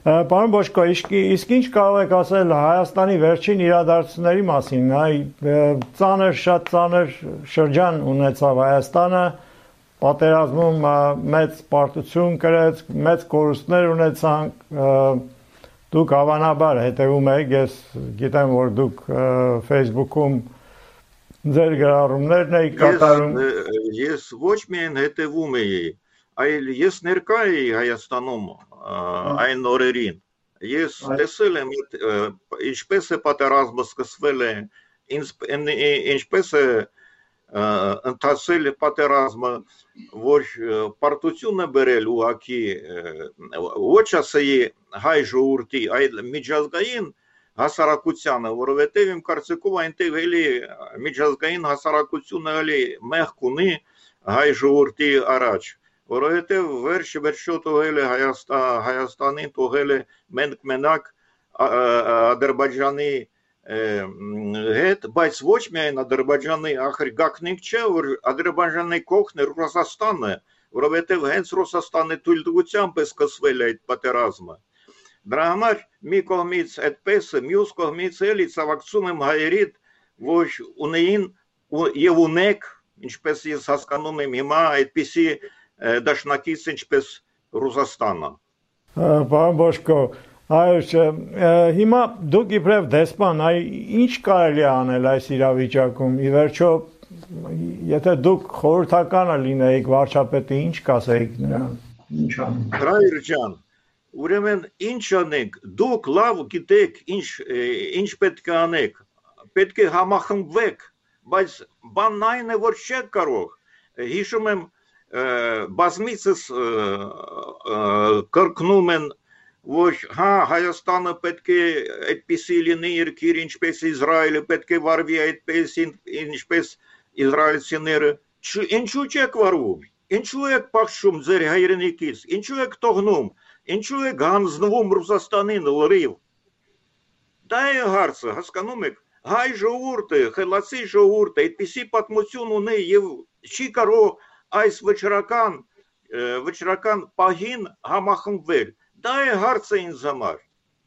Պարոն Բոշկո, իսկ ինչ կարող եք ասել Հայաստանի վերջին իրադարձությունների մասին, շատ ծանր շրջան ունեցավ Հայաստանը, պատերազմում մեծ պարտություն կրեց, մեծ կորուստներ ունեցանք, դուք հավանաբար հետևում եք, ես գիտեմ, որ դուք Facebook-ում ձեր գրառումներն եք կատարում։ Ես ոչ միայն հետևում էի, այլ ես ներկա էի Հայաստանում այն օրերին։ Ես տեսել եմ ինչպես է պատերազմը սկսվել է, ինչպես է ընթացել պատերազմը, որ պարտություն է բերել ուղղակի ոչ ասեի հայ ժողովրդի, այլ միջազգային հասարակությանը, որովհետև իմ կարծիքով այնտեղ էլի միջազգային հասարակությունը էլի մեղք ունի հայ ժողովրդի առաջ, որովհետև վերջը թողել է Հայաստանին, թողել է մենակ Ադրբեջանի հետ, բայց ոչ միայն Ադրբեջանի, ախր գաղտնիք չէ, որ Ադրբեջանի կողքն է Ռուսաստանը, որովհետև հենց Ռուսաստանի թույլտվությամբ է սկսվել այդ պատերազմը։ Դրա համար մի կողմից այդպես է, մյուս կողմից էլի ցավակցում եմ հայերիդ, որ ունեին եւ ունեք, ինչպես ես հասկանում եմ հիմա, այդպիսի դաշնակից ինչպես Ռուսաստանը։ Պարոն Բոշկո, հիմա դուք իբրև դեսպան, ինչ կարելի է անել այս իրավիճակում։ Ի վերջո, եթե դուք խորհրդականը լինեիք վարչապետի, ինչ կասեիք նրան։ Ինչ անենք։ Ռայր ջան, ուրեմն ինչ անենք, դուք լավ գիտեք ինչ պետք է անեք, պետք է համախմբվեք, բայց բանն այն է, որ չեք կարող։ Հիշում եմ բազմիցս կրկնում են, որ Հայաստանը պետք է այդպիսի լինի երկիր, ինչպես Իսրայելը, պետք է վարվի այդպես, ինչպես իսրայելցիները։ Ինչու չեք վարվում, ինչու եք պաշտում ձեր հայրենիքից, ինչու եք թողնում, ինչու եք հանձնվում Ռուսաստանին լրիվ։ Դա է հարցը, հասկանում եք, հայ ժողովուրդը, խելացի ժողովուրդը այդպիսի պատմություն ունի եւ չի կարող այս վճռական պահին համախմբվել։ Դա է հարցը ինձ համար։